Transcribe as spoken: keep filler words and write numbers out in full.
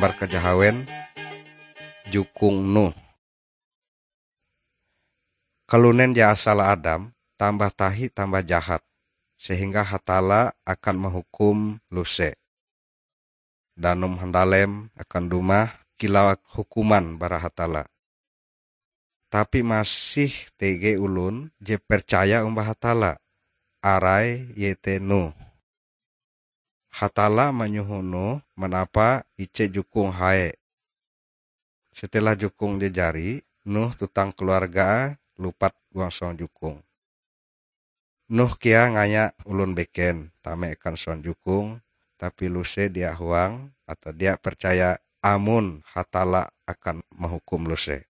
Gambar kajahawen jukung Nuh. Kalunen je asala Adam, tambah tahi tambah jahat, sehingga Hatalla akan mahukum luse. Danum handalem akan dumah kilau hukuman bara Hatalla. Tapi masih tege olon je percaya umbah Hatalla, arai iete Nuh. Hatalla manyoho Nuh manapa ije jukung hae. Setelah jukung je jari, Nuh tuntang keluarga lupat huang soh jukung. Nuh kea ngaya olon beken tame akan soh jukung, tapi luse dia huang atau dia percaya amon Hatalla akan mahukum luse.